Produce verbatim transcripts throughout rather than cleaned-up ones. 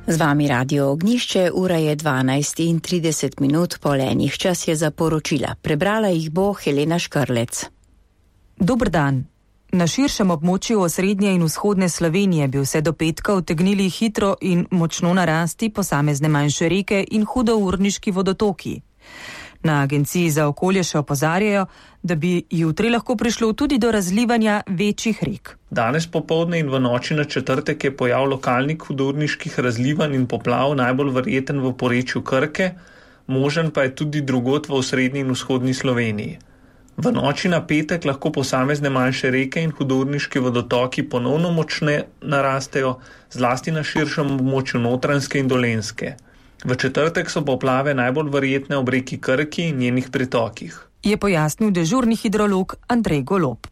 Z vami Radio Ognišče, ura je dvanajst in trideset minut po enih, čas je za poročila. Prebrala jih bo Helena Škrlec. Dober dan. Na širšem območju osrednje in vzhodne Slovenije bi vse do petka utegnili hitro in močno narasti posamezne manjše reke in hudourniški vodotoki. Na Agenciji za okolje še opozarjajo, da bi jutri lahko prišlo tudi do razlivanja večjih rek. Danes popoldne in v noči na četrtek je pojav lokalnih hudourniških razlivanj in poplav najbolj verjeten v porečju Krke, možen pa je tudi drugod v osrednji in vzhodni Sloveniji. V noči na petek lahko posamezne manjše reke in hudourniški vodotoki ponovno močne narastejo, zlasti na širšem območju Notranjske in Dolenjske. V četrtek so poplave najbolj verjetne ob reki Krki in njenih pritokih, je pojasnil dežurni hidrolog Andrej Golob.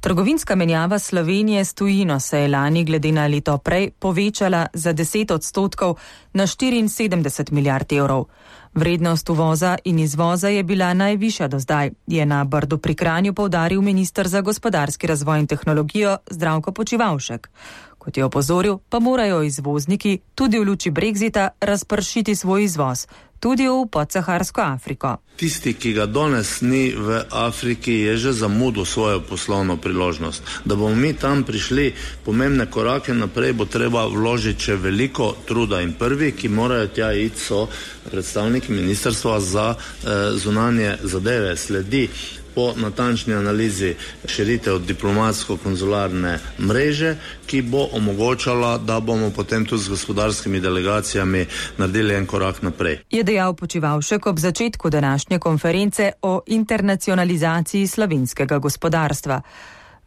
Trgovinska menjava Slovenije s tujino se je lani glede na leto prej povečala za deset odstotkov na štiriinsedemdeset milijard evrov. Vrednost uvoza in izvoza je bila najvišja do zdaj, je na Brdu pri Kranju poudaril minister za gospodarski razvoj in tehnologijo Zdravko Počivalšek. Kot je opozoril, pa morajo izvozniki tudi v luči Brexita razpršiti svoj izvoz, tudi v podsaharsko Afriko. Tisti, ki ga danes ni v Afriki, je že zamudil svojo poslovno priložnost. Da bomo mi tam prišli pomembne korake naprej, bo treba vložiti še veliko truda in prvi, ki morajo tja iti, so predstavniki ministrstva za eh, zunanje zadeve. Sledi po natančni analizi širitev diplomatsko-konzularne mreže, ki bo omogočala, da bomo potem tudi z gospodarskimi delegacijami naredili en korak naprej. Je dejal Počivalšek ob začetku današnje konference o internacionalizaciji slovenskega gospodarstva.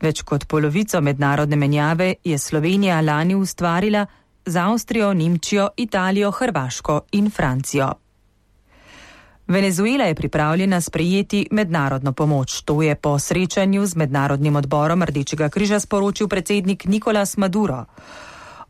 Več kot polovico mednarodne menjave je Slovenija lani ustvarila z Avstrijo, Nemčijo, Italijo, Hrvaško in Francijo. Venezuela je pripravljena sprejeti mednarodno pomoč. To je po srečanju z mednarodnim odborom Rdečega križa sporočil predsednik Nicolás Maduro.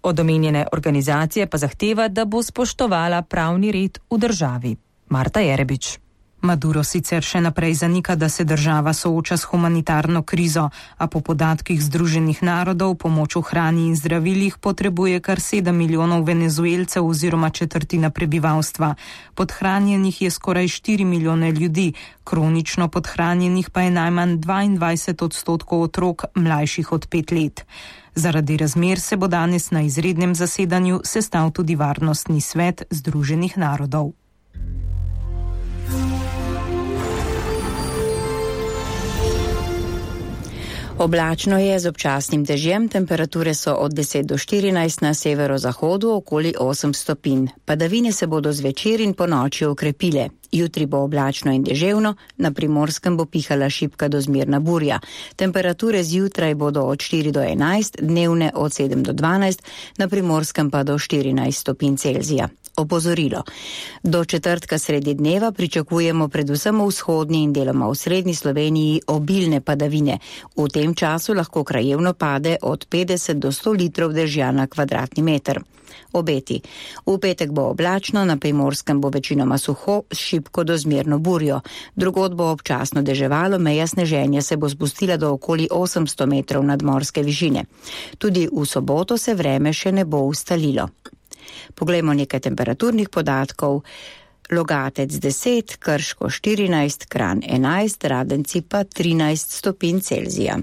Od omenjene organizacije pa zahteva, da bo spoštovala pravni red v državi. Marta Jerebič. Maduro sicer še naprej zanika, da se država sooča s humanitarno krizo, a po podatkih Združenih narodov pomoč v hrani in zdravilih potrebuje kar sedem milijonov Venezuelcev oziroma četrtina prebivalstva. Podhranjenih je skoraj štiri milijone ljudi, kronično podhranjenih pa je najmanj dvaindvajset odstotkov otrok mlajših od pet let. Zaradi razmer se bo danes na izrednem zasedanju sestal tudi Varnostni svet Združenih narodov. Oblačno je z občasnim dežjem, temperature so od deset do štirinajst, na severozahodu okoli osem stopinj. Padavine se bodo zvečer in ponoči okrepile. Jutri bo oblačno in deževno, na Primorskem bo pihala šibka do zmerna burja. Temperature zjutraj bodo od štiri do enajst, dnevne od sedem do dvanajst, na Primorskem pa do štirinajst stopinj Celzija. Opozorilo. Do četrtka sredi dneva pričakujemo predvsem v vzhodni in deloma v srednji Sloveniji obilne padavine. V tem času lahko krajevno pade od petdeset do sto litrov dežja na kvadratni meter. Obeti. V petek bo oblačno, na Primorskem bo večinoma suho, šibko do zmerno burjo. Drugod bo občasno deževalo, meja sneženja se bo spustila do okoli osemsto metrov nadmorske višine. Tudi v soboto se vreme še ne bo ustalilo. Poglejmo nekaj temperaturnih podatkov. Logatec deset, Krško štirinajst, Kranj enajst, Radenci pa trinajst stopinj Celzija.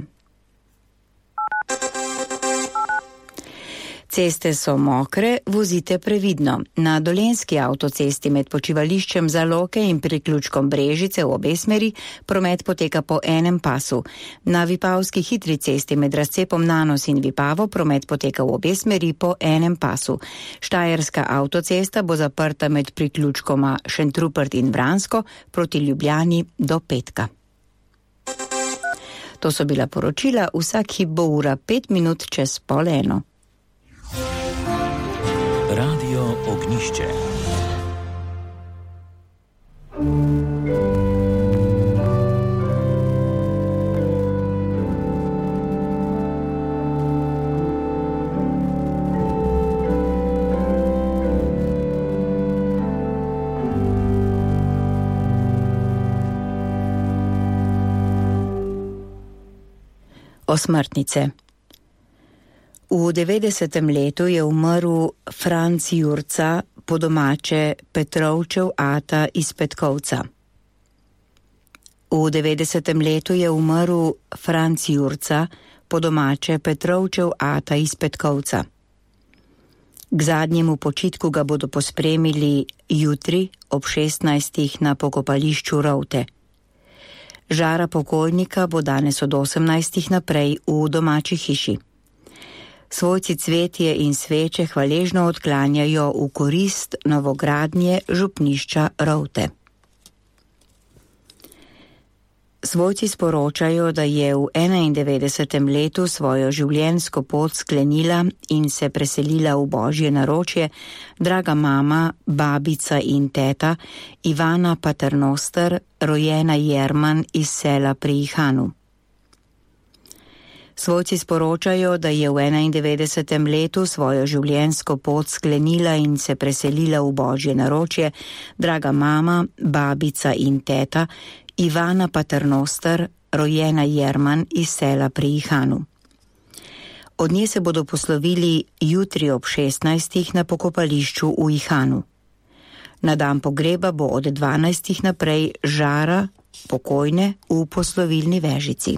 Ceste so mokre, vozite previdno. Na Dolenjski avtocesti med počivališčem Zaloke in priključkom Brežice v obe smeri promet poteka po enem pasu. Na Vipavski hitri cesti med razcepom Nanos in Vipavo promet poteka v obe smeri po enem pasu. Štajerska avtocesta bo zaprta med priključkoma Šentrupert in Vransko proti Ljubljani do petka. To so bila poročila, vsak hip bo ura pet minut čez pol eno. Radio Ognišče. Osmrtnice. V devetdesetem letu je umrl Franc Jurca, po domače Petrovčev ata iz Petkovca. V devetdesetem letu je umrl Franc Jurca, po domače Petrovčev ata iz Petkovca. K zadnjemu počitku ga bodo pospremili jutri ob šestnajstih na pokopališču Rovte. Žara pokojnika bo danes od osemnajstih naprej v domači hiši. Svojci cvetje in sveče hvaležno odklanjajo v korist novogradnje župnišča Rovte. Svojci sporočajo, da je v enaindevetdesetem letu svojo življenjsko pot sklenila in se preselila v Božje naročje draga mama, babica in teta Ivana Paternoster, rojena Jerman iz sela pri Ihanu. Svojci sporočajo, da je v enaindevetdesetem letu svojo življenjsko pot sklenila in se preselila v Božje naročje draga mama, babica in teta Ivana Paternoster, rojena Jerman iz sela pri Ihanu. Od nje se bodo poslovili jutri ob šestnajstih na pokopališču v Ihanu. Na dan pogreba bo od dvanajstih naprej žara pokojne v poslovilni vežici.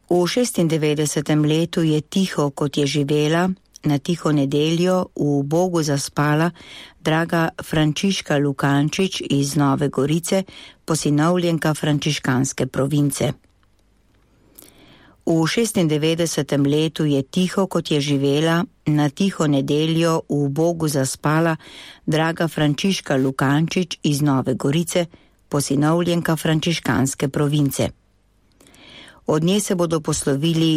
V šestindevetdesetem letu je tiho, kot je živela, na tiho nedeljo v Bogu zaspala draga Frančiška Lukančič iz Nove Gorice, posinovljenka frančiškanske province. V šestindevetdesetem letu je tiho, kot je živela, na tiho nedeljo v Bogu zaspala draga Frančiška Lukančič iz Nove Gorice, posinovljenka frančiškanske province. Od nje se bodo poslovili